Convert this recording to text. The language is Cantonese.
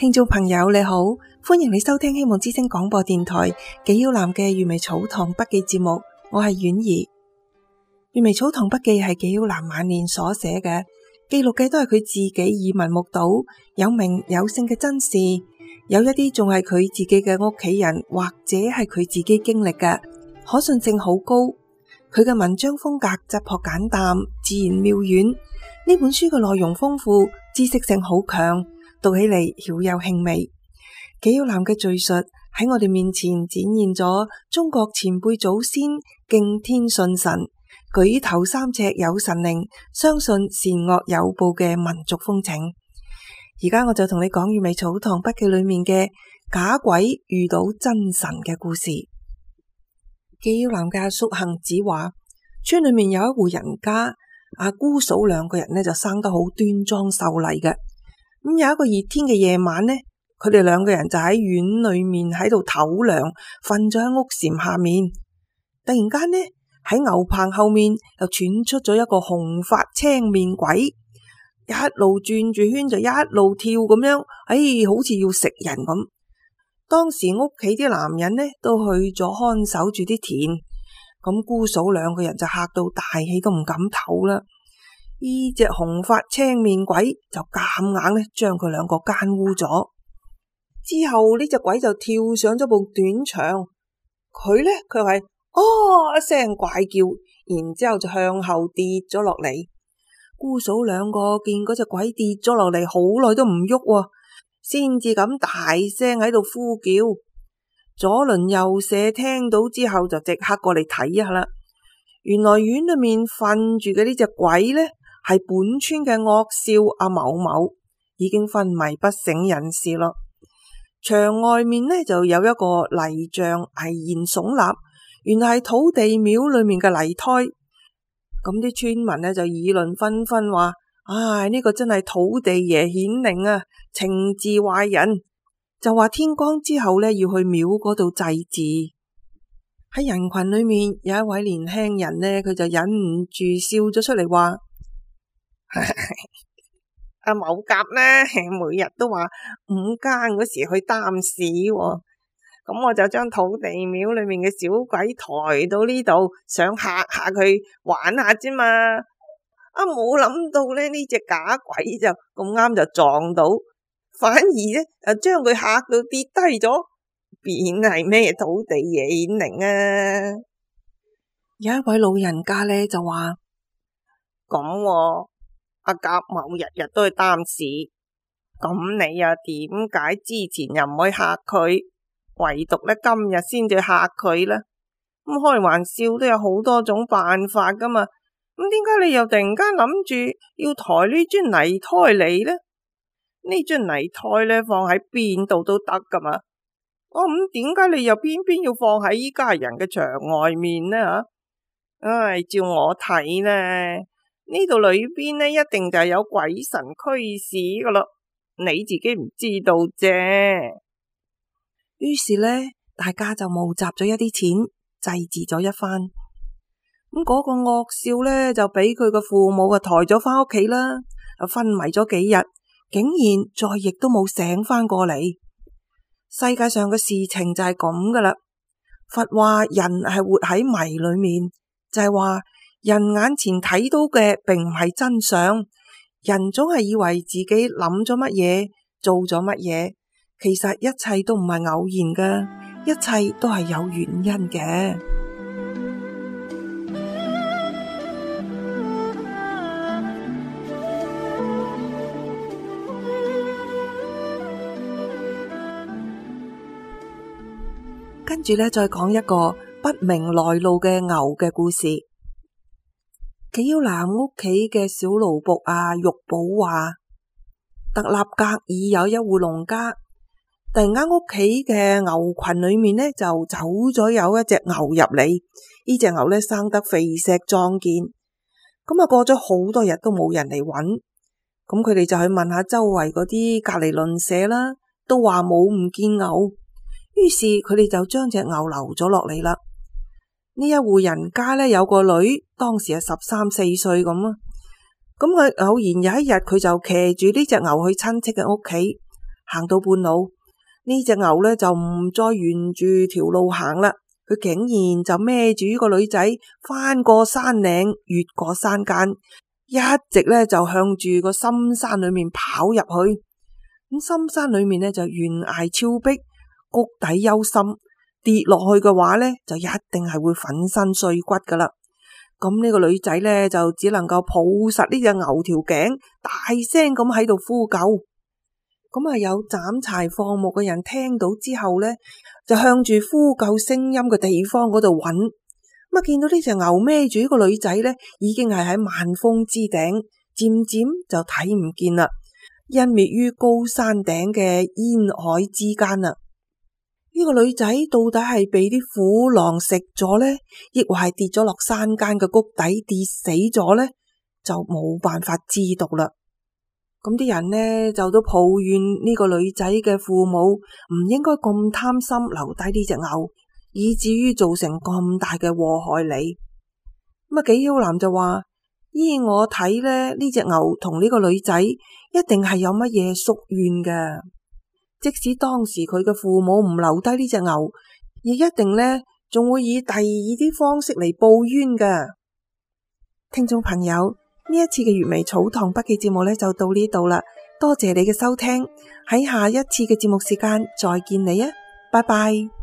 聽眾朋友你好，歡迎你收聽希望之聲廣播電台紀曉嵐嘅閱微草堂筆記節目，我係婉兒。閱微草堂筆記係紀曉嵐晚年所寫嘅，記錄嘅都係佢自己耳聞目睹有名有姓嘅真事，有一啲仲係佢自己嘅屋企人或者係佢自己經歷嘅，可信性好高。佢嘅文章風格質樸簡淡，自然妙遠。呢本書嘅內容豐富，知識性好強，讀起嚟曉有興味。紀曉嵐嘅敘述喺我哋面前展現咗中國前輩祖先敬天信神、舉頭三尺有神靈、相信善惡有報嘅民族風情。而家我就同你講閱微草堂筆記裏面嘅假鬼遇到真神嘅故事。紀曉嵐嘅阿叔杏子話，村裏面有一戶人家，阿姑嫂兩個人呢就生得好端莊秀麗嘅。咁有一個熱天嘅夜晚呢，佢哋兩個人就喺院裏面喺度唞涼，瞓咗喺屋檐下面。突然間呢，喺牛棚後面又傳出咗一個紅髮青面鬼，一路轉住圈就一路跳咁樣，好似要食人咁。當時屋企啲男人呢都去咗看守住啲田，咁姑嫂兩個人就嚇到大氣都唔敢唞啦。呢隻紅髮青面鬼就夾硬呢將佢兩個奸污咗。之後呢隻鬼就跳上咗部短牆，佢呢卻係一聲怪叫，然之後就向後跌咗落嚟。姑嫂兩個見嗰隻鬼跌咗落嚟，好耐都唔喐，先至咁大聲喺度呼叫。左鄰右舍聽到之後就即刻過嚟睇一下啦。原來院裏面瞓住嘅呢隻鬼呢，係本村嘅惡少阿某某，已經昏迷不省人事咯。牆外面呢就有一個泥像巍然聳立，原來係土地廟裏面嘅泥胎。咁啲村民呢就議論紛紛話，呢個真係土地爺顯靈啊，懲治壞人，就話天光之後呢要去廟嗰度祭祀。喺人群裏面有一位年輕人呢，佢就忍唔住笑咗出嚟話，阿某甲呢每日都話午間嗰時去擔屎，咁我就將土地廟裏面嘅小鬼抬到呢度，想嚇下佢玩下啫嘛。冇諗到呢隻假鬼就咁啱就撞到，反而呢將佢嚇到跌低咗，變係咩土地爺顯靈啊。有一位老人家呢就話，咁阿甲某日日都去擔屎，咁你又點解之前又唔去嚇佢，唯獨呢今日先至嚇佢呢？咁開玩笑都有好多種辦法噶嘛，咁點解你又突然間諗住要抬呢磚泥胎嚟呢？呢磚泥胎呢放喺邊度都得噶嘛。咁點解你又偏偏要放喺依家人嘅牆外面呢？照我睇呢，呢度裏邊呢一定就係有鬼神驅使噶咯，你自己唔知道啫。於是呢，大家就募集咗一啲錢，祭祀咗一番。咁嗰個惡少呢，就俾佢個父母抬咗返屋企啦，昏迷咗幾日，竟然再亦都冇醒返過嚟。世界上嘅事情就係咁噶啦。佛話人係活喺迷裏面，就係話人眼前睇到嘅並唔係真相，人總係以為自己諗咗乜嘢，做咗乜嘢，其實一切都唔係偶然噶，一切都係有原因嘅。跟住呢，再講一個不明來路嘅牛嘅故事。紀曉嵐屋企嘅小奴僕玉寶話，特立格爾有一戶農家，突然間屋企嘅牛群裏面呢就走咗有一隻牛入嚟。呢隻牛呢生得肥碩壯健，咁過咗好多日都冇人嚟揾，咁佢哋就去問下周圍嗰啲隔離鄰舍啦，都話冇唔見牛。於是佢哋就將隻牛留咗落嚟啦。呢一戶人家呢有個女，當時係13、14歲咁啊。咁佢偶然有一日，佢就騎住呢隻牛去親戚嘅屋企，行到半路，呢隻牛呢就唔再沿住條路行啦，佢竟然就孭住個女仔翻過山嶺，越過山間，一直呢就向住個深山裏面跑入去。咁深山裏面呢就懸崖峭壁，谷底幽深，跌落去嘅話呢就一定係會粉身碎骨噶啦。咁呢個女仔呢就只能夠抱實呢隻牛條頸，大聲咁喺度呼救。咁有斬柴放牧嘅人聽到之後呢，就向住呼救聲音嘅地方嗰度揾。咁見到呢隻牛孭住呢個女仔呢，已經係喺萬峰之頂，漸漸就睇唔見啦，湮滅於高山頂嘅煙海之間啦。呢個女仔到底係被啲虎狼食咗呢，抑或係跌咗落山間嘅谷底跌死咗呢？就冇辦法知道啦。咁啲人呢就都抱怨呢個女仔嘅父母唔應該咁貪心留低呢隻牛，以至於造成咁大嘅禍害你。咁紀曉嵐就話：依我睇呢隻牛同呢個女仔一定係有乜嘢宿怨嘅。即使當時佢嘅父母唔留低呢隻牛，亦一定呢仲會以第二啲方式嚟報冤嘅。聽眾朋友，呢一次嘅粵微草堂筆記節目呢就到呢度啦，多謝你嘅收聽，喺下一次嘅節目時間再見你啊，拜拜。